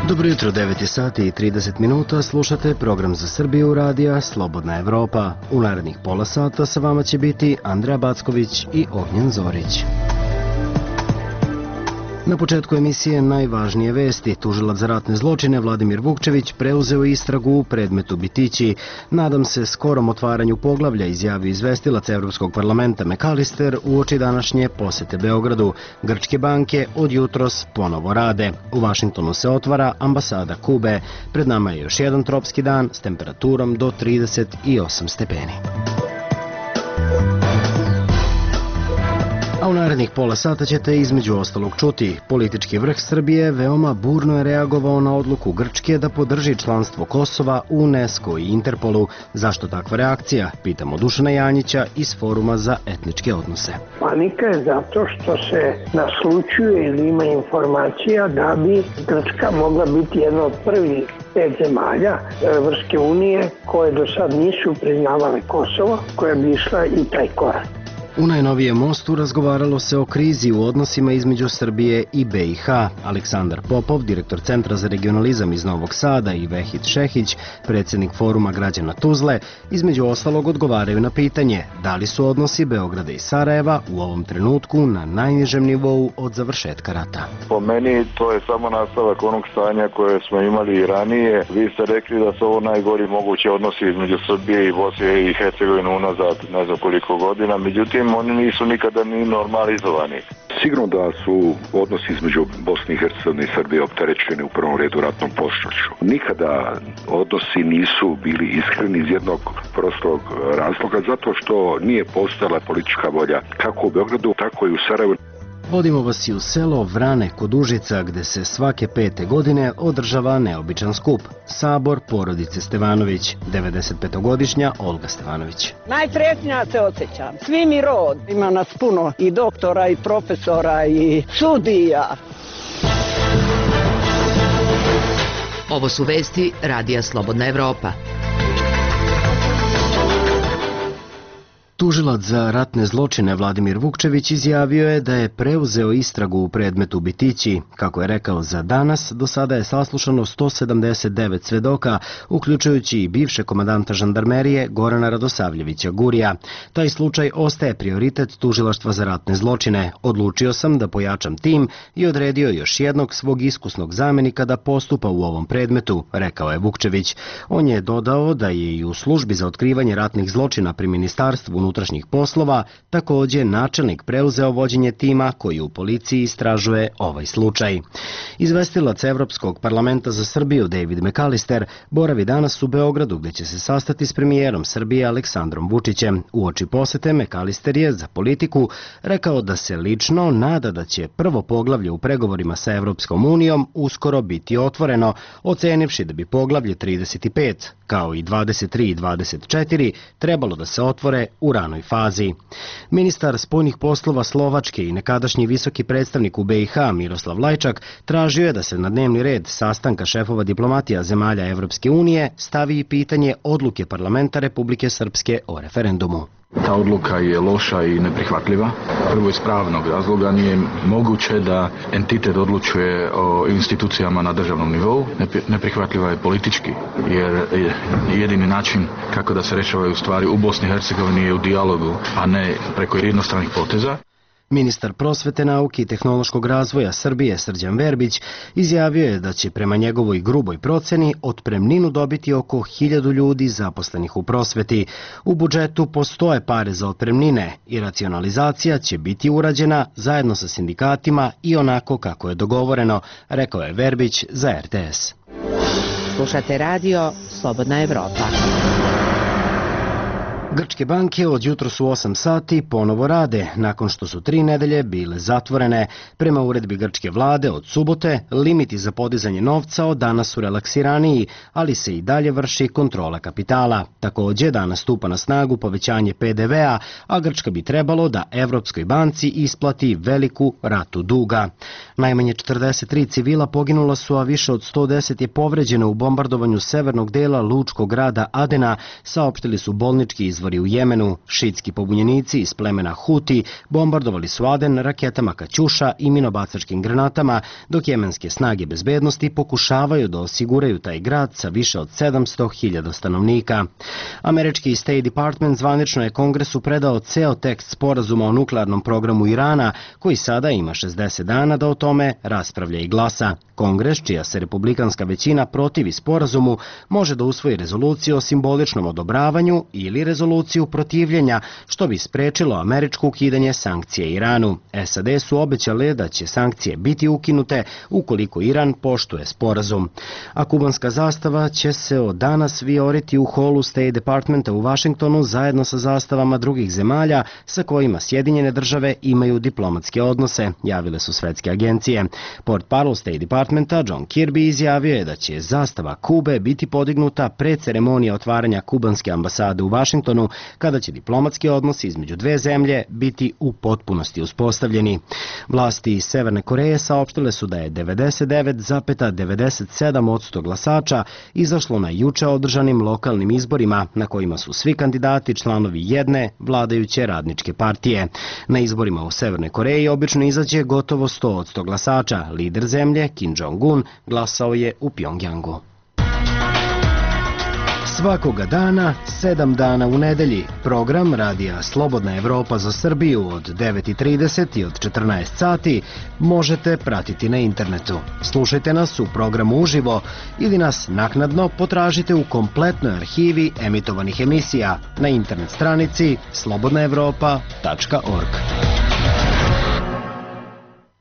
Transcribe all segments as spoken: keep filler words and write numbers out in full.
Dobro jutro, devet je sati i trideset minuta, slušate program za Srbiju radija Slobodna Evropa. U narednih pola sata sa vama će biti Andreja Backović i Ognjen Zorić. Na početku emisije najvažnije vesti. Tužilac za ratne zločine Vladimir Vukčević preuzeo istragu u predmetu Bitići. Nadam se skorom otvaranju poglavlja, izjavio izvestilac Evropskog parlamenta McAllister uoči današnje posete Beogradu. Grčke banke od jutros ponovo rade. U Vašingtonu se otvara ambasada Kube. Pred nama je još jedan tropski dan s temperaturom do trideset osam stepeni. A u narednih pola sata ćete između ostalog čuti. Politički vrh Srbije veoma burno je reagovao na odluku Grčke da podrži članstvo Kosova u UNESCO i Interpolu. Zašto takva reakcija? Pitamo Dušana Janjića iz Foruma za etničke odnose. Panika je zato što se naslućuje ili ima informacija da bi Grčka mogla biti jedna od prvih pet zemalja Evropske unije koje do sad nisu priznavale Kosovo, koja bi išla i taj korak. U najnovijem mostu razgovaralo se o krizi u odnosima između Srbije i B i H. Aleksandar Popov, direktor Centra za regionalizam iz Novog Sada, i Vehid Šehić, predsjednik Foruma građana Tuzle, između ostalog odgovaraju na pitanje da li su odnosi Beograda i Sarajeva u ovom trenutku na najnižem nivou od završetka rata. Po meni to je samo nastavak onog stanja koje smo imali i ranije. Vi ste rekli da su ovo najgori mogući odnosi između Srbije i Bosne i Hercegovine unazad ne znam koliko godina, međutim oni nisu nikada ni normalizovani. Sigurno da su odnosi između Bosne i Hercegovine i Srbije opterećeni u prvom redu ratnom prošlošću. Nikada odnosi nisu bili iskreni iz jednog prostog razloga, zato što nije postojala politička volja kako u Beogradu, tako i u Sarajevu. Vodimo vas i u selo Vrane kod Užica, gde se svake pete godine održava neobičan skup. Sabor porodice Stevanović, devedesetpetogodišnja Olga Stevanović. Najsretnija se osjećam. Svi mi rod. Ima nas puno i doktora i profesora i sudija. Ovo su vesti Radija Slobodna Evropa. Tužilac za ratne zločine Vladimir Vukčević izjavio je da je preuzeo istragu u predmetu Bitići. Kako je rekao za danas, do sada je saslušano sto sedamdeset devet svedoka, uključujući i bivše komandanta žandarmerije Gorana Radosavljevića Gurija. Taj slučaj ostaje prioritet Tužilaštva za ratne zločine. Odlučio sam da pojačam tim i odredio još jednog svog iskusnog zamenika da postupa u ovom predmetu, rekao je Vukčević. On je dodao da je i u službi za otkrivanje ratnih zločina pri Ministarstvu unutrašnjih poslova također načelnik preuzeo vođenje tima koji u policiji istražuje ovaj slučaj. Izvestilac Evropskog parlamenta za Srbiju David McAllister boravi danas u Beogradu, gde će se sastati s premijerom Srbije Aleksandrom Vučićem. Uoči posete McAllister je za Politiku rekao da se lično nada da će prvo poglavlje u pregovorima sa Evropskom unijom uskoro biti otvoreno, ocenivši da bi poglavlje trideset pet, kao i dvadeset tri i dvadeset četiri, trebalo da se otvore u ranoj fazi. Ministar spoljnih poslova Slovačke i nekadašnji visoki predstavnik u B i H Miroslav Lajčak tražio je da se na dnevni red sastanka šefova diplomatija zemalja Evropske unije stavi i pitanje odluke parlamenta Republike Srpske o referendumu. Ta odluka je loša i neprihvatljiva. Prvo iz pravnog razloga nije moguće da entitet odlučuje o institucijama na državnom nivou. Neprihvatljiva je politički, jer jedini način kako da se rešavaju stvari u Bosni i Hercegovini je u dijalogu, a ne preko jednostranih poteza. Ministar prosvete, nauke i tehnološkog razvoja Srbije Srđan Verbić izjavio je da će prema njegovoj gruboj proceni otpremninu dobiti oko hiljadu ljudi zaposlenih u prosveti. U budžetu postoje pare za otpremnine i racionalizacija će biti urađena zajedno sa sindikatima i onako kako je dogovoreno, rekao je Verbić za R T S. Slušate radio Slobodna Evropa. Grčke banke od jutros u osam sati ponovo rade, nakon što su tri nedelje bile zatvorene. Prema uredbi grčke vlade od subote, limiti za podizanje novca od danas su relaksiraniji, ali se i dalje vrši kontrola kapitala. Također, danas stupa na snagu povećanje P D V-a, a Grčka bi trebalo da Evropskoj banci isplati veliku ratu duga. Najmanje četrdeset tri civila poginula su, a više od sto deset je povređeno u bombardovanju severnog dela lučkog grada Adena, saopštili su bolnički izvor izvori u Jemenu, šitski pobunjenici iz plemena Huti bombardovali su Aden raketama Kaćuša i minobacačkim granatama, dok jemenske snage bezbednosti pokušavaju da osiguraju taj grad sa više od sedamsto hiljada stanovnika. Američki State Department zvanično je Kongresu predao ceo tekst sporazuma o nuklearnom programu Irana, koji sada ima šezdeset dana da o tome raspravlja i glasa. Kongres, čija se republikanska većina protivi sporazumu, može da usvoji rezoluciju o simboličnom odobravanju ili rezoluciju protivljenja, što bi sprečilo američko ukidanje sankcije Iranu. S A D su obećale da će sankcije biti ukinute ukoliko Iran poštuje sporazum. A kubanska zastava će se od danas vijoriti u holu State Departmenta u Vašingtonu zajedno sa zastavama drugih zemalja sa kojima Sjedinjene države imaju diplomatske odnose, javile su svetske agencije. Portparol State Departmenta John Kirby izjavio je da će zastava Kube biti podignuta pre ceremonije otvaranja kubanske ambasade u Vašingtonu, kada će diplomatski odnosi između dve zemlje biti u potpunosti uspostavljeni. Vlasti iz Severne Koreje saopštile su da je devedeset devet zarez devedeset sedam posto glasača izašlo na juče održanim lokalnim izborima, na kojima su svi kandidati članovi jedne vladajuće radničke partije. Na izborima u Severnoj Koreji obično izađe gotovo sto posto glasača. Lider zemlje, Kim Jong-un, glasao je u Pjongjangu. Svakoga dana, sedam dana u nedelji, program Radija Slobodna Evropa za Srbiju od devet i trideset i od četrnaest sati možete pratiti na internetu. Slušajte nas u programu uživo ili nas naknadno potražite u kompletnoj arhivi emitovanih emisija na internet stranici slobodna evropa tačka org.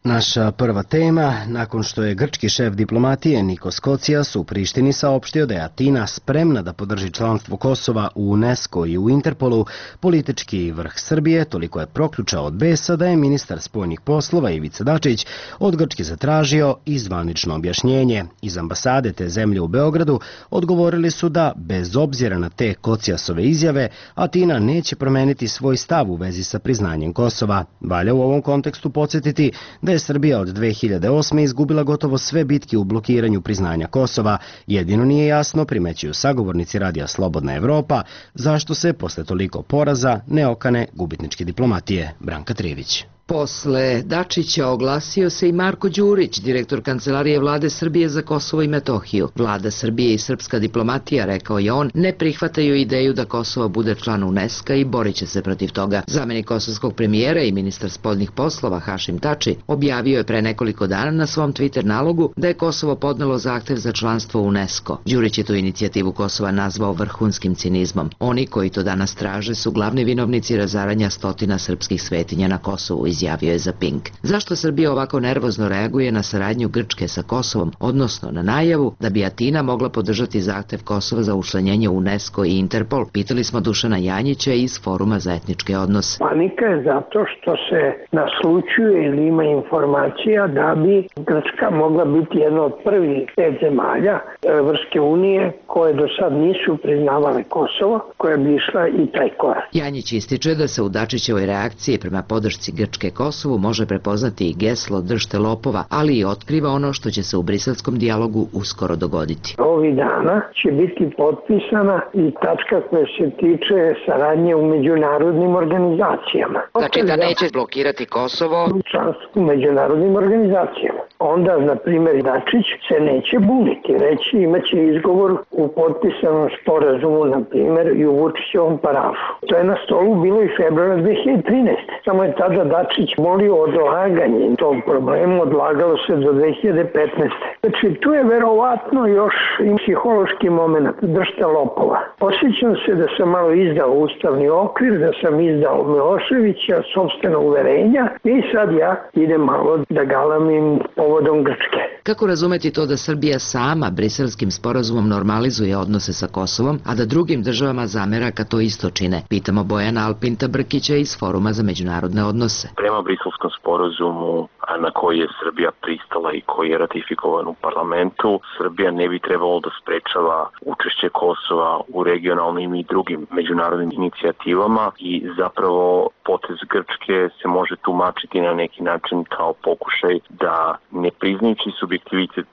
Naša prva tema, nakon što je grčki šef diplomatije Nikos Kocias u Prištini saopštio da je Atina spremna da podrži članstvo Kosova u UNESCO i u Interpolu, politički vrh Srbije toliko je proključao od besa da je ministar spoljnih poslova Ivica Dačić od Grčke zatražio i zvanično objašnjenje. Iz ambasade te zemlje u Beogradu odgovorili su da, bez obzira na te Kociasove izjave, Atina neće promeniti svoj stav u vezi sa priznanjem Kosova. Valja u ovom kontekstu podsjetiti da je Srbija od dve hiljade osme. izgubila gotovo sve bitke u blokiranju priznanja Kosova. Jedino nije jasno, primećuju sagovornici Radija Slobodna Evropa, zašto se posle toliko poraza ne okane gubitničke diplomatije. Branka Trivić. Posle Dačića oglasio se i Marko Đurić, direktor Kancelarije Vlade Srbije za Kosovo i Metohiju. Vlada Srbije i srpska diplomatija, rekao je on, ne prihvataju ideju da Kosovo bude član UNESCO i borit će se protiv toga. Zamenik kosovskog premijera i ministar spoljnih poslova Hašim Tači objavio je pre nekoliko dana na svom Twitter nalogu da je Kosovo podnelo zahtev za članstvo u UNESCO. Đurić je tu inicijativu Kosova nazvao vrhunskim cinizmom. Oni koji to danas traže su glavni vinovnici razaranja stotina srpskih svetinja na Kosovu, izjavio je za Pink. Zašto Srbija ovako nervozno reaguje na saradnju Grčke sa Kosovom, odnosno na najavu da bi Atina mogla podržati zahtev Kosova za učlanjenje u UNESCO i Interpol? Pitali smo Dušana Janjića iz Foruma za etničke odnose. Panika je zato što se naslućuje ili ima informacija da bi Grčka mogla biti jedna od prvih pet zemalja Evropske unije koje do sad nisu priznavale Kosovo, koja bi išla i taj korak. Janjić ističe da se u Dačićevoj reakciji prema podršci Grčke Kosovu može prepoznati i geslo držte lopova, ali i otkriva ono što će se u briselskom dijalogu uskoro dogoditi. Ovih dana će biti potpisana i tačka koja se tiče saradnje u međunarodnim organizacijama. Znači da neće blokirati Kosovo članstvo u međunarodnim organizacijama. Onda, na primjer, Dačić se neće buniti, reći imaće izgovor u potpisanom sporazumu, na primjer, i u Vučićevom parafu. To je na stolu bilo i februara dve hiljade trinaeste. Samo je tada Dačić molio odlaganje tog problema, odlagalo se do dve hiljade petnaeste. Znači, tu je verovatno još i psihološki moment, držte lopova. Osjećam se da sam malo izdao ustavni okvir, da sam izdao Miloševića, sopstvena uverenja i sad ja idem malo da galamim povodom Grčke. Kako razumeti to da Srbija sama briselskim sporazumom normalizuje odnose sa Kosovom, a da drugim državama zamera kad to isto čine? Pitamo Bojana Alpinta Brkića iz Foruma za međunarodne odnose. Prema briselskom sporazumu na koji je Srbija pristala i koji je ratifikovan u parlamentu. Srbija ne bi trebalo da sprečava učešće Kosova u regionalnim i drugim međunarodnim inicijativama i zapravo potez Grčke se može tumačiti na neki način kao pokušaj da ne priznajući subjektivitet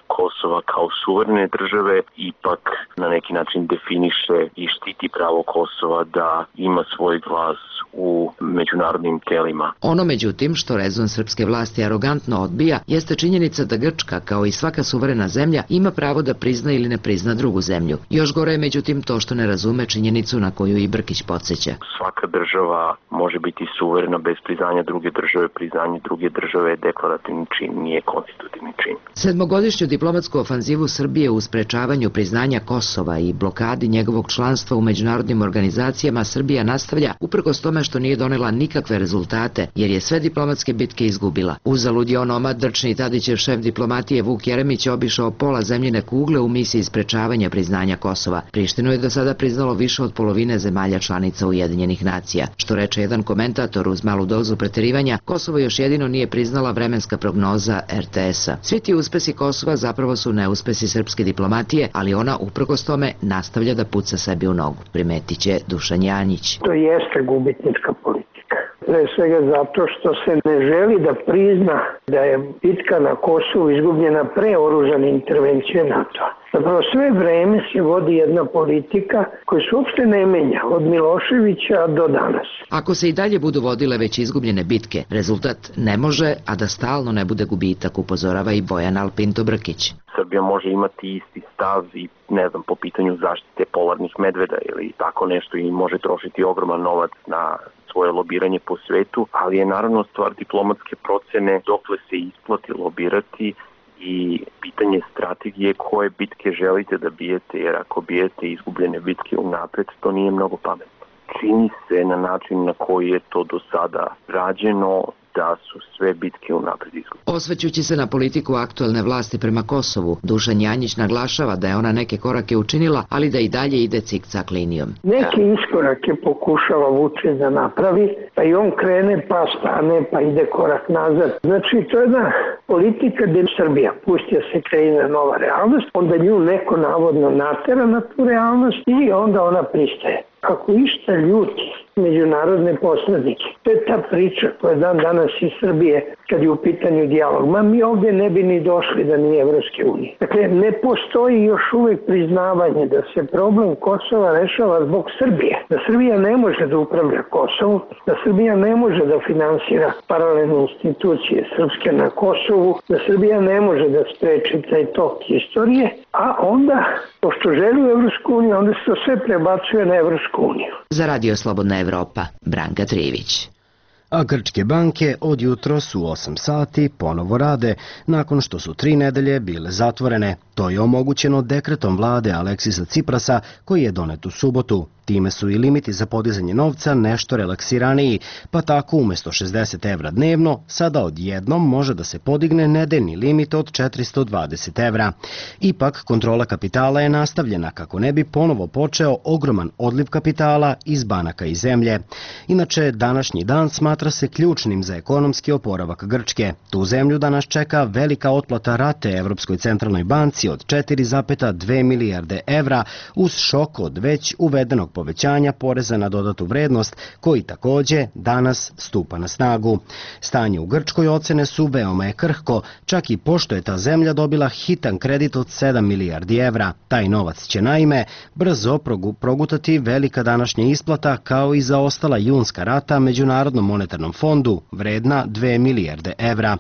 Kosova kao suverene države ipak na neki način definiše i štiti pravo Kosova da ima svoj glas u međunarodnim telima. Ono međutim što rezon srpske vlasti arogantno odbija jeste činjenica da Grčka, kao i svaka suverena zemlja, ima pravo da prizna ili ne prizna drugu zemlju. Još gore je međutim to što ne razume činjenicu na koju i Brkić podsjeća. Svaka država može biti suverena bez priznanja druge države. Priznanje druge države je deklarativni čin, nije konstitutivni čin. Sedmogodišnju diplomatsku ofanzivu Srbije u sprečavanju priznanja Kosova i blokadi njegovog članstva u međunarodnim organizacijama Srbija nastavlja uprkos tome što nije donela nikakve rezultate, jer je sve diplomatske bitke izgubila. Uzalud je onomad drčni Tadićev šef diplomatije Vuk Jeremić obišao pola zemljine kugle u misiji sprečavanja priznanja Kosova. Prištinu je do sada priznalo više od polovine zemalja članica Ujedinjenih nacija. Što reče jedan komentator uz malu dozu preterivanja, Kosovo još jedino nije priznala vremenska prognoza er te es-a. Svi ti uspesi Kosova zapravo su neuspesi srpske diplomatije, ali ona uprkos tome nastavlja da puca sebi u nogu, primetit će Dušan Janjić. To jeste gubitnička politika. Pre svega zato što se ne želi da prizna da je bitka na Kosovu izgubljena pre oružane intervencije NATO-a. Zapravo sve vreme se vodi jedna politika koja se uopšte ne menja od Miloševića do danas. Ako se i dalje budu vodile već izgubljene bitke, rezultat ne može, a da stalno ne bude gubitak, upozorava i Bojan Alpinto Brkić. Srbija može imati isti stav i ne znam, po pitanju zaštite polarnih medveda ili tako nešto i može trošiti ogroman novac na svoje lobiranje po svetu, ali je naravno stvar diplomatske procene dokle se isplati lobirati i pitanje strategije koje bitke želite da bijete, jer ako bijete izgubljene bitke unapred, to nije mnogo pametno. Čini se na način na koji je to do sada rađeno da su sve bitke unapred izgubljene. Osvećući se na politiku aktuelne vlasti prema Kosovu, Dušan Janjić naglašava da je ona neke korake učinila, ali da i dalje ide cik-cak linijom. Neke iskorake pokušava Vučić da napravi, pa i on krene, pa stane, pa ide korak nazad. Znači, to je jedna politika gde Srbija pustija se kreira nova realnost, onda nju neko navodno natera na tu realnost i onda ona pristaje. Ako išta ljuti međunarodne posrednike, to je ta priča koja je dan danas iz Srbije kad je u pitanju dijalog. Ma mi ovdje ne bi ni došli da nije Evropske unije. Dakle, ne postoji još uvek priznavanje da se problem Kosova rešava zbog Srbije. Da Srbija ne može da upravlja Kosovu, da Srbija ne može da finansira paralelne institucije srpske na Kosovu, da Srbija ne može da spreči taj tok istorije, a onda, pošto želi u Evropsku uniju, onda se to sve prebacuje na Evropsku uniju. Za Radio Slobodna Evropa, Branka Trivić. A grčke banke od jutros u osam sati ponovo rade, nakon što su tri nedelje bile zatvorene. To je omogućeno dekretom vlade Aleksisa Ciprasa koji je donet u subotu. Time su i limiti za podizanje novca nešto relaksiraniji, pa tako umjesto šezdeset evra dnevno, sada odjednom može da se podigne nedeljni limit od četiristo dvadeset evra. Ipak, kontrola kapitala je nastavljena kako ne bi ponovo počeo ogroman odliv kapitala iz banaka i zemlje. Inače, današnji dan smatra se ključnim za ekonomski oporavak Grčke. Tu zemlju danas čeka velika otplata rate Evropskoj centralnoj banci od četiri zarez dve milijarde evra uz šok od već uvedenog povećanja poreza na dodatu vrednost koji takođe danas stupa na snagu. Stanje u Grčkoj ocene su veoma je krhko, čak i pošto je ta zemlja dobila hitan kredit od sedam milijardi evra. Taj novac će naime brzo progutati velika današnja isplata kao i zaostala junska rata Međunarodnom monetarnom fondu vredna dve milijarde evra.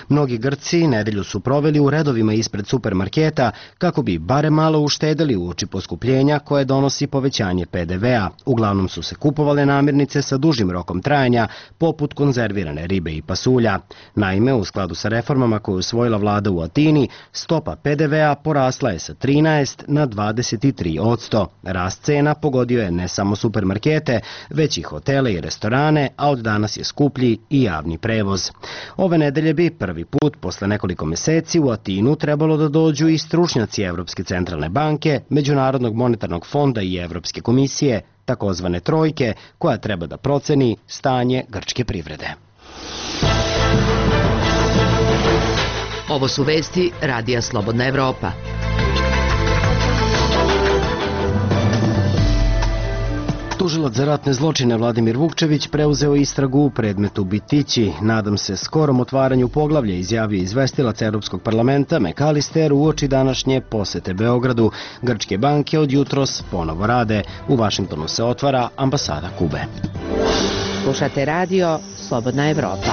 Mnogi Grci nedelju su proveli u redovima ispred supermarketa kako bi bare malo uštedeli uoči poskupljenja koje donosi povećanje pe de ve a. Uglavnom su se kupovale namirnice sa dužim rokom trajanja, poput konzervirane ribe i pasulja. Naime, u skladu sa reformama koje je usvojila vlada u Atini, stopa pe de ve a porasla je sa trinaest na dvadeset tri posto. Rast cena pogodio je ne samo supermarkete, već i hotele i restorane, a od danas je skuplji i javni prevoz. Ove nedelje bi prvi put posle nekoliko meseci u Atinu trebalo da dođu i stručnjaci Evropske centralne banke, Međunarodnog monetarnog fonda i Evropske komisije, takozvane trojke, koja treba da proceni stanje grčke privrede. Ovo su vesti Radija Slobodna Evropa. Tužilac za ratne zločine Vladimir Vukčević preuzeo istragu u predmetu Bitići. Nadam se skorom otvaranju poglavlja, izjavio izvestilac Evropskog parlamenta McAllister uoči današnje posete Beogradu. Grčke banke od jutros ponovo rade. U Vašingtonu se otvara ambasada Kube. Slušate radio Slobodna Evropa.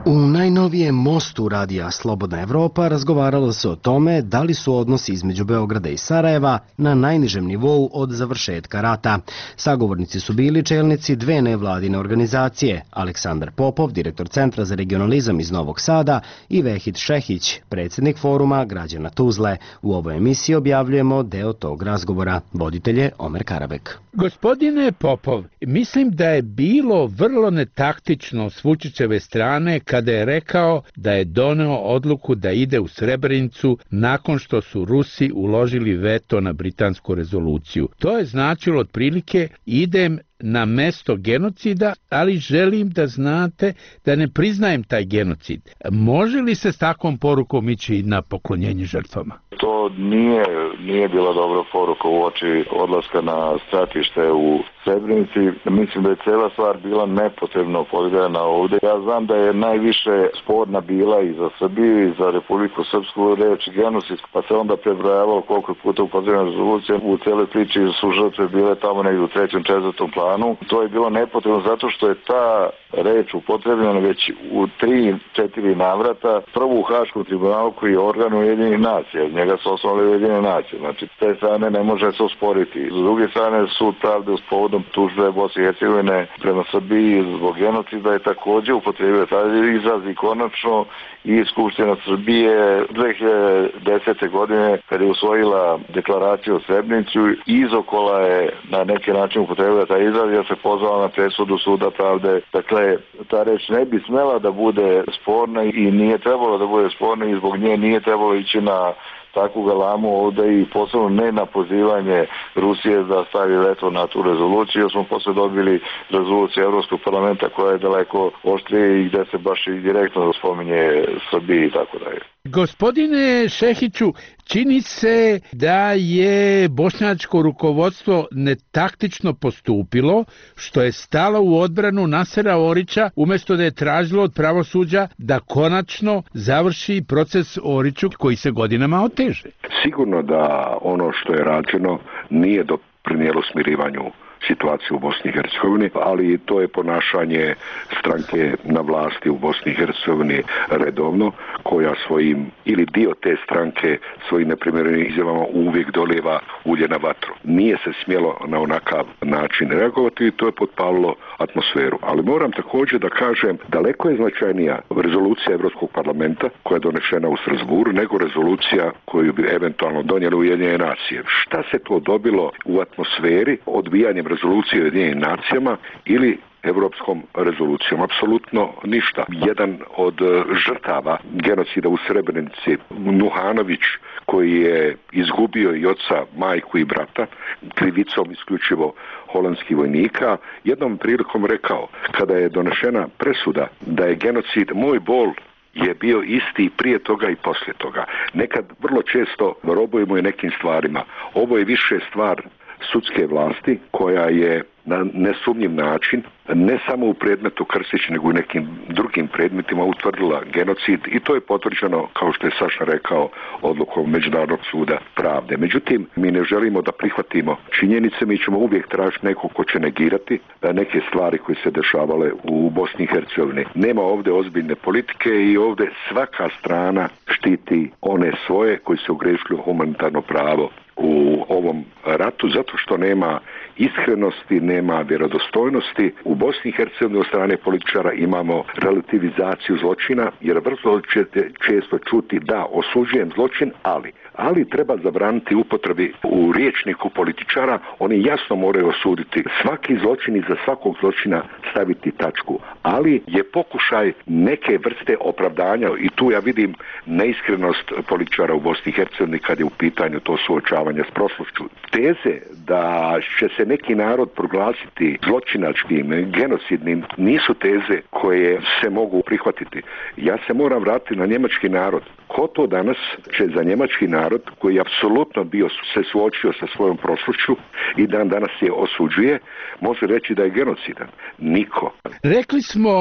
U najnovijem mostu radija Slobodna Evropa razgovaralo se o tome da li su odnosi između Beograda i Sarajeva na najnižem nivou od završetka rata. Sagovornici su bili čelnici dve nevladine organizacije, Aleksandar Popov, direktor Centra za regionalizam iz Novog Sada, i Vehid Šehić, predsjednik foruma građana Tuzle. U ovoj emisiji objavljujemo deo tog razgovora. Voditelj je Omer Karabek. Gospodine Popov, mislim da je bilo vrlo netaktično s Vučićeve strane kada je rekao da je doneo odluku da ide u Srebrenicu nakon što su Rusi uložili veto na britansku rezoluciju. To je značilo otprilike idem na mesto genocida, ali želim da znate da ne priznajem taj genocid. Može li se s takvom porukom ići na poklonjenje žrtvama? To nije, nije bila dobra poruka uoči odlaska na stratište u Srebrenici. Mislim da je cijela stvar bila nepotrebno podigana ovdje. Ja znam da je najviše sporna bila i za Srbiju i za Republiku Srpsku reč genocid, pa se onda prebrojavalo koliko puta upotrebna rezolucija. U cijeloj priči su žrtve bile tamo negdje u trećem, četvrtom planu. To je bilo nepotrebno zato što je ta reč upotrebljena već u tri, četiri navrata. Prvo u Haškom tribunalu koji je organ Ujedinjenih nacija. Njega su osnovali Ujedinjene nacije. Znači, s te strane ne može se osporiti. S druge strane, sud pravde uz povodom tužbe Bosne i Hercegovine prema Srbiji zbog genocida je također upotrebio taj izraz i konačno i Skupština Srbije dve hiljade desete. godine kada je usvojila deklaraciju o Srebrenici, izokola je na neki način upotrebila taj izraz jer se pozvala na presudu suda pravde. Dakle, ta reč ne bi smela da bude sporna i nije trebalo da bude sporna i zbog nje nije trebalo ići na takvu galamu ovdje i posebno ne na pozivanje Rusije da stavi veto na tu rezoluciju, jer smo posle dobili rezoluciju Evropskog parlamenta koja je daleko oštrije i gdje se baš i direktno spominje Srbiji i tako dalje. Gospodine Šehiću, čini se da je bošnjačko rukovodstvo netaktično postupilo, što je stalo u odbranu Nasera Orića, umjesto da je tražilo od pravosuđa da konačno završi proces Oriću koji se godinama oteže. Sigurno da ono što je rađeno nije doprinijelo smirivanju situaciju u Bosni i Hercegovini, ali to je ponašanje stranke na vlasti u Bosni i Hercegovini redovno, koja svojim, ili dio te stranke svojim neprimjerenim izjavama uvijek dolijeva ulje na vatru. Nije se smjelo na onakav način reagovati i to je potpalilo atmosferu. Ali moram također da kažem, daleko je značajnija rezolucija Evropskog parlamenta koja je donešena u Strasburu nego rezolucija koju bi eventualno donijeli Ujedinjene nacije. Šta se to dobilo u atmosferi odbijanjem rezolucije Ujedinjenim nacijama ili evropskom rezolucijom? Apsolutno ništa. Jedan od žrtava genocida u Srebrenici, Nuhanović, koji je izgubio i oca, majku i brata, krivicom isključivo holandskih vojnika, jednom prilikom rekao, kada je donešena presuda da je genocid moj bol, je bio isti prije toga i poslije toga. Nekad vrlo često robujemo i nekim stvarima. Ovo je više stvar sudske vlasti koja je na nesumnjiv način, ne samo u predmetu Krstić, nego i nekim drugim predmetima utvrdila genocid i to je potvrđeno, kao što je Saša rekao, odlukom Međunarodnog suda pravde. Međutim, mi ne želimo da prihvatimo činjenice, mi ćemo uvijek tražiti nekog ko će negirati neke stvari koje se dešavale u Bosni i Hercegovini. Nema ovdje ozbiljne politike i ovdje svaka strana štiti one svoje koji su ogrešili u humanitarno pravo u ovom ratu, zato što nema iskrenosti, nema vjerodostojnosti. U Bosni i Hercegovini od strane političara imamo relativizaciju zločina, jer vrlo ćete često čuti da osuđujem zločin, ali ali treba zabraniti upotrebi u rječniku političara. Oni jasno moraju osuditi svaki zločin i za svakog zločina staviti tačku, ali je pokušaj neke vrste opravdanja i tu ja vidim neiskrenost političara u Bosni i Hercegovini kad je u pitanju to suočavanje s prošlošću. Teze da će se neki narod proglasiti zločinačkim, genocidnim, nisu teze koje se mogu prihvatiti. Ja se moram vratiti na njemački narod. Ko to danas će za njemački narod koji je apsolutno bio se suočio sa svojom prošlošću i dan danas je osuđuje, može reći da je genocidan? Niko. Rekli smo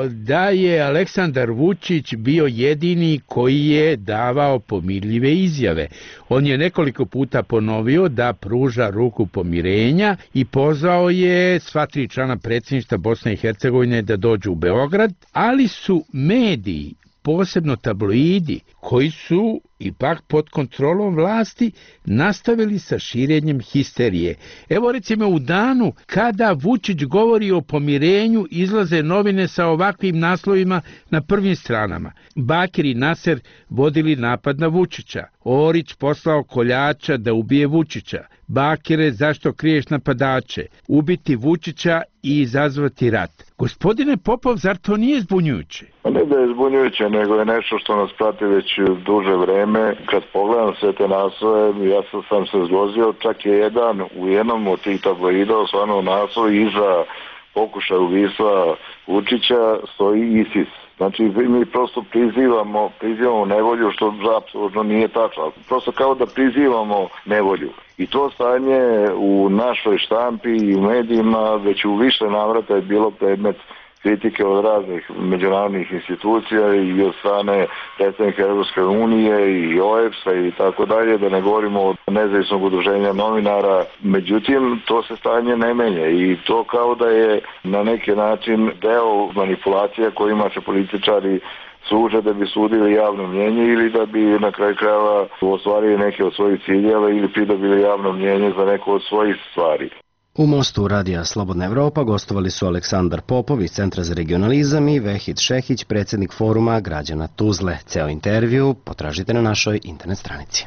da je Aleksandar Vučić bio jedini koji je davao pomirljive izjave. On je nekoliko puta ponovio da pruža ruku pomirenja i pozvao je sva tri člana predsjedništva Bosne i Hercegovine da dođu u Beograd, ali su mediji, posebno tabloidi, koji su ipak pod kontrolom vlasti, nastavili sa širenjem histerije. Evo recimo u danu kada Vučić govori o pomirenju, izlaze novine sa ovakvim naslovima na prvim stranama. Bakir i Naser vodili napad na Vučića. Orić poslao koljača da ubije Vučića. Bakire, zašto kriješ napadače? Ubiti Vučića i izazvati rat. Gospodine Popov, zar to nije zbunjujuće? Ne da je zbunjujuće, nego je nešto što nas prati već duže vreme. Kad pogledam sve te naslove, ja sam se zlozio, čak je jedan u jednom od tih tabloida osvano naslov iza pokušaja ubistva Vučića stoji ISIS. Znači mi prosto prizivamo, prizivamo nevolju, što apsolutno nije tačno. Prosto kao da prizivamo nevolju. I to stanje u našoj štampi i u medijima već u više navrata je bilo predmet kritike od raznih međunarodnih institucija i od strane predsjednika Europske unije i O E B S-a i tako dalje, da ne govorimo o nezavisnog udruženja novinara. Međutim, to se stanje ne menja i to kao da je na neki način deo manipulacija kojima se političari služe da bi sudili javno mnjenje ili da bi na kraju krajeva ostvarili neke od svojih ciljeva ili pridobili javno mnjenje za neku od svojih stvari. U Mostu radija Slobodna Evropa gostovali su Aleksandar Popov iz Centra za regionalizam i Vehid Šehić, predsjednik foruma građana Tuzle. Ceo intervju potražite na našoj internet stranici.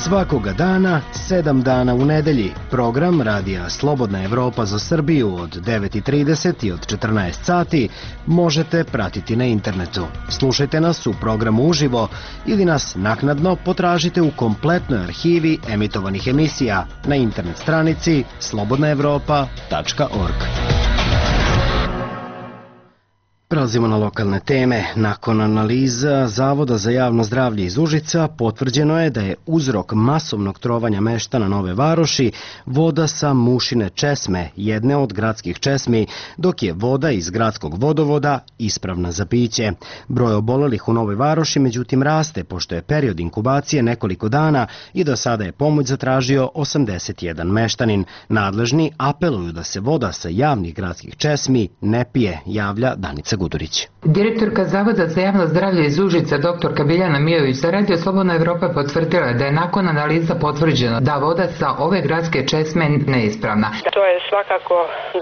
Svakoga dana, sedam dana u nedelji, program radija Slobodna Evropa za Srbiju od devet i trideset i od četrnaest sati možete pratiti na internetu. Slušajte nas u programu uživo ili nas naknadno potražite u kompletnoj arhivi emitovanih emisija na internet stranici slobodna evropa tačka org. Prelazimo na lokalne teme. Nakon analiza Zavoda za javno zdravlje iz Užica potvrđeno je da je uzrok masovnog trovanja meštana Nove Varoši voda sa Mušine česme, jedne od gradskih česmi, dok je voda iz gradskog vodovoda ispravna za piće. Broj obolelih u Novoj Varoši međutim raste, pošto je period inkubacije nekoliko dana i do sada je pomoć zatražio osamdeset jedan meštanin. Nadležni apeluju da se voda sa javnih gradskih česmi ne pije, javlja Danica Gudurić. Direktorka Zavoda za javno zdravlje iz Užica, doktorka Biljana Mijović, za Radio Slobodna Evropa potvrdila da je nakon analiza potvrđeno da voda sa ove gradske česme neispravna. To je svakako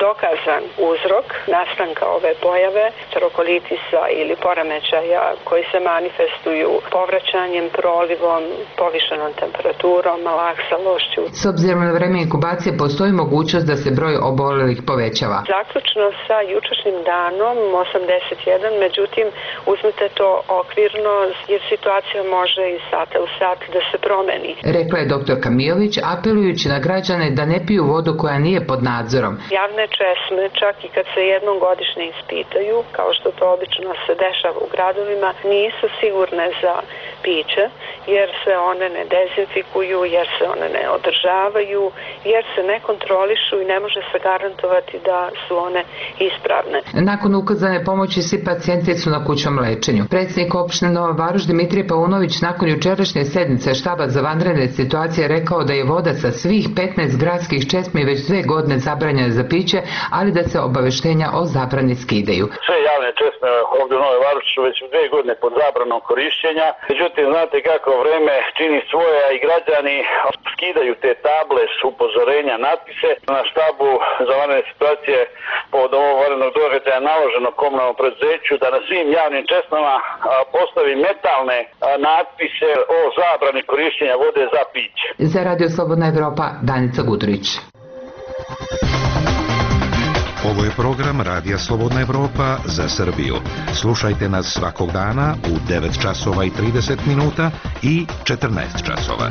dokazan uzrok nastanka ove pojave, trokolitisa ili poremećaja koji se manifestuju povraćanjem, prolivom, povišenom temperaturom, laksalošću. S obzirom na vreme inkubacije postoji mogućnost da se broj obolelih povećava. Zaključno sa jučerašnjim danom osamdeset jedan, međutim uzmite to okvirno jer situacija može iz sata u sat da se promeni. Rekla je doktorka Mijović, apelujući na građane da ne piju vodu koja nije pod nadzorom. Javne česme, čak i kad se jednom godišnje ispitaju, kao što to obično se dešava u gradovima, nisu sigurne za piće, jer se one ne dezinfikuju, jer se one ne održavaju, jer se ne kontrolišu i ne može se garantovati da su one ispravne. Nakon ukazane pomoći svi pacijenti su na kućnom lečenju. Predsjednik opštine Nova Varoš Dimitrije Paunović nakon jučerašnje sednice štaba za vanredne situacije rekao da je voda sa svih petnaest gradskih česmi već dve godine zabranjena za piće, ali da se obaveštenja o zabrani skidaju. Sve javne česme ovdje u Novoj Varoši su već dve godine pod zabranom korišćenja, međutim međutim znate kako vreme čini svoje, a i građani skidaju te table s upozorenja, natpise. Na štabu za vanredne situacije povodom ovog vanrednog događaja naloženo komunalnom preduzeću da na svim javnim česmama postavi metalne natpise o zabrani korišćenja vode za piće. Za Radio Slobodna Evropa, Danica Gudurić. Ovo je program Radija Slobodna Evropa za Srbiju. Slušajte nas svakog dana u devet časova i trideset minuta i četrnaest časova.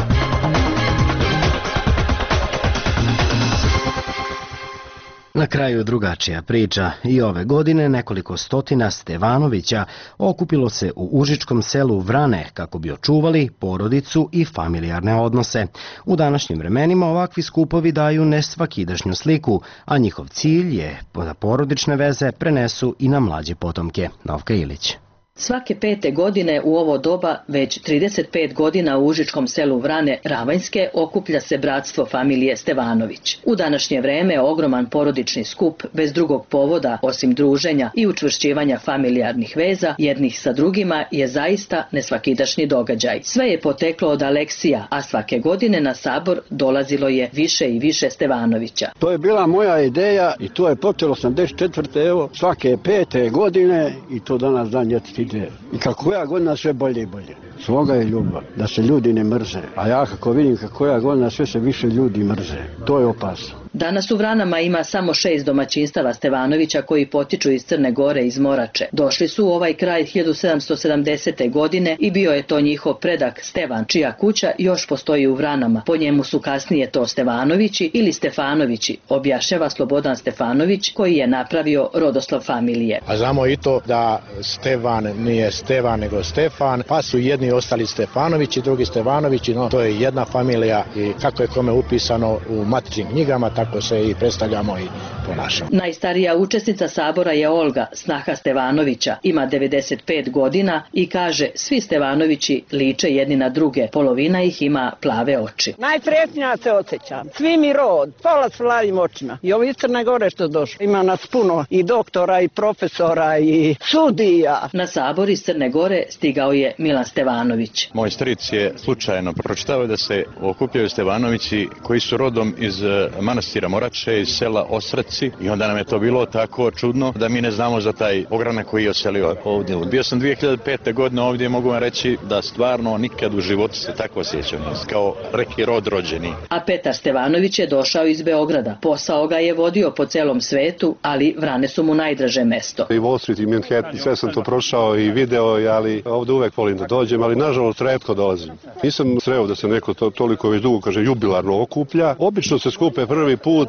Na kraju drugačija priča. I ove godine nekoliko stotina Stevanovića okupilo se u užičkom selu Vrane kako bi očuvali porodicu i familijarne odnose. U današnjim vremenima ovakvi skupovi daju nesvakidašnju sliku, a njihov cilj je da porodične veze prenesu i na mlađe potomke. Novka Ilić. Svake pete godine u ovo doba, već trideset pet godina u užičkom selu Vrane Ravanjske, okuplja se bratstvo familije Stevanović. U današnje vreme ogroman porodični skup, bez drugog povoda, osim druženja i učvršćivanja familijarnih veza jednih sa drugima, je zaista nesvakidašnji događaj. Sve je poteklo od Aleksija, a svake godine na sabor dolazilo je više i više Stevanovića. To je bila moja ideja i to je počelo osamdeset četvrte evo, svake pete godine i to danas dan je ide. I kako ja godina sve bolje i bolje. Sloga je ljubav, da se ljudi ne mrze. A ja kako vidim kako ja godina sve se više ljudi mrze. To je opasno. Danas u Vranama ima samo šest domaćinstava Stevanovića koji potiču iz Crne Gore, iz Morače. Došli su u ovaj kraj hiljadu sedamsto sedamdesete. godine i bio je to njihov predak Stevan, čija kuća još postoji u Vranama. Po njemu su kasnije to Stevanovići ili Stefanovići, objašnjava Slobodan Stefanović, koji je napravio rodoslov familije. A znamo i to da Stevan nije Stevan nego Stefan, pa su jedni ostali Stefanovići, drugi Stevanovići, no to je jedna familija i kako je kome upisano u matičnim knjigama, tako se i predstavljamo i ponašamo. Najstarija učesnica sabora je Olga, snaha Stevanovića, ima devedeset pet godina i kaže svi Stevanovići liče jedni na druge, polovina ih ima plave oči. Najsretnija se osjećam, svi mi rod, pola s plavim očima i ovi iz Crne Gore što došli. Ima nas puno i doktora i profesora i sudija. Na sabor iz Crne Gore stigao je Milan Stevanović. Moj stric je slučajno pročitao da se okupljaju Stevanovići koji su rodom iz manastira Morače, iz sela Osreci, i onda nam je to bilo tako čudno da mi ne znamo za taj ogranak koji je oselio ovdje. Bio sam dvije hiljade pete. godine ovdje, mogu vam reći da stvarno nikad u životu se tako osjećam, kao reki rod rođeni. A Petar Stevanović je došao iz Beograda. Posao ga je vodio po celom svetu, ali Vrane su mu najdraže mesto. I Wall Street i Manhattan, sve sam to prošao i video, ali ovdje uvek volim da dođem, ali nažalost retko dolazim. Nisam sreo da se neko to, toliko već dugo, kaže, jubilarno okuplja. Obično se skupe prvi put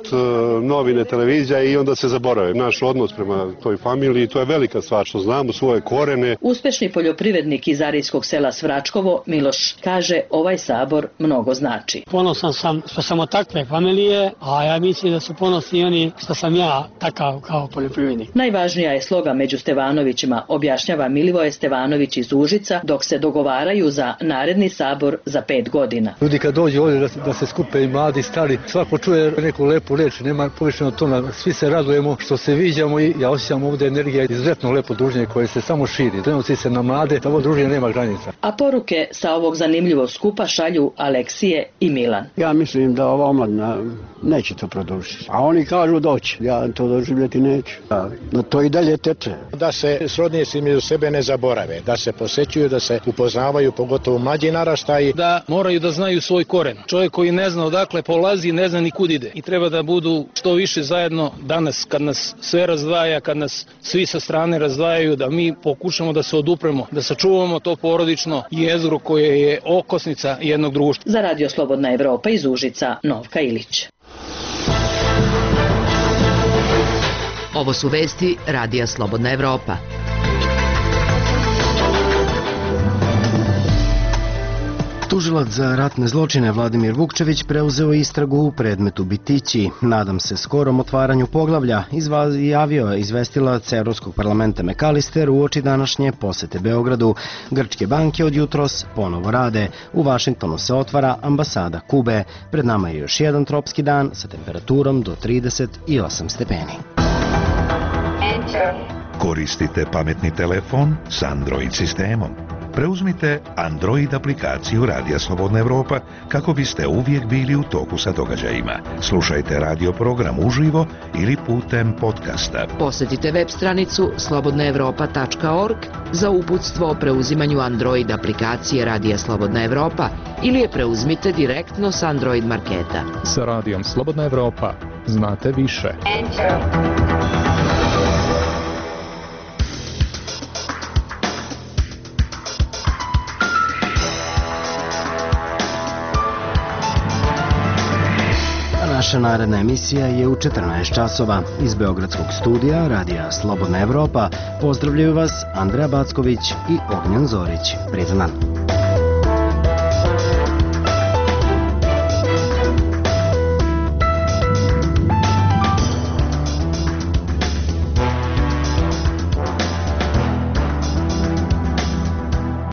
novine, televizija i onda se zaborave. Naš odnos prema toj familiji, to je velika stvar što znamo svoje korene. Uspešni poljoprivrednik iz arijskog sela Svračkovo, Miloš, kaže ovaj sabor mnogo znači. Ponosan sam što sam od takve familije, a ja mislim da su ponosni oni što sam ja takav kao poljoprivrednik. Najvažnija je sloga među Stevanovićima, objašnjava Milivoje Stevanović iz Užica, dok se dogovaraju za naredni sabor za pet godina. Ljudi kad dođu ovdje da, da se skupe i mladi i stari, svako čuje neku lepu reč, nema povišeno tona, svi se radujemo što se viđamo i ja osjećam ovdje energija, izuzetno lepo druženje koje se samo širi. Prenosi se na mlade, ovo druženje nema granica. A poruke sa ovog zanimljivog skupa šalju Aleksije i Milan. Ja mislim da ova omladina neće to produžiti. A oni kažu doći, ja to doživljeti neću. No to i dalje teče. Da se srodnici među sebe ne zaborave, da se posećuju, da se upoznavaju, pogotovo mlađi naraštaji. Da moraju da znaju svoj koren. Čovjek koji ne zna odakle polazi, ne zna ni kud ide. I treba da budu što više zajedno danas, kad nas sve razdvaja, kad nas svi sa strane razdvajaju, da mi pokušamo da se odupremo, da sačuvamo to porodično jezgro koje je okosnica jednog društva. Za Radio Slobodna Evropa iz Užica, Novka Ilić. Ovo su vesti Radija Slobodna Evropa. Tužilac za ratne zločine Vladimir Vukčević preuzeo istragu u predmetu Bitići. Nadam se skorom otvaranju poglavlja, izjavio je izvestilac Evropskog parlamenta McAllister uoči današnje posete Beogradu. Grčke banke od jutros ponovo rade. U Vašingtonu se otvara ambasada Kube. Pred nama je još jedan tropski dan sa temperaturom do trideset osam stepeni. Koristite pametni telefon s Android sistemom. Preuzmite Android aplikaciju Radija Slobodna Evropa kako biste uvijek bili u toku sa događajima. Slušajte radio program uživo ili putem podcasta. Posjetite web stranicu slobodna evropa tačka org za uputstvo o preuzimanju Android aplikacije Radija Slobodna Evropa ili je preuzmite direktno s Android marketa. Sa Radijom Slobodna Evropa znate više. Naša naredna emisija je u četrnaest časova. Iz Beogradskog studija Radija Slobodna Evropa pozdravljaju vas Andreja Backović i Ognjen Zorić. Prijetan dan.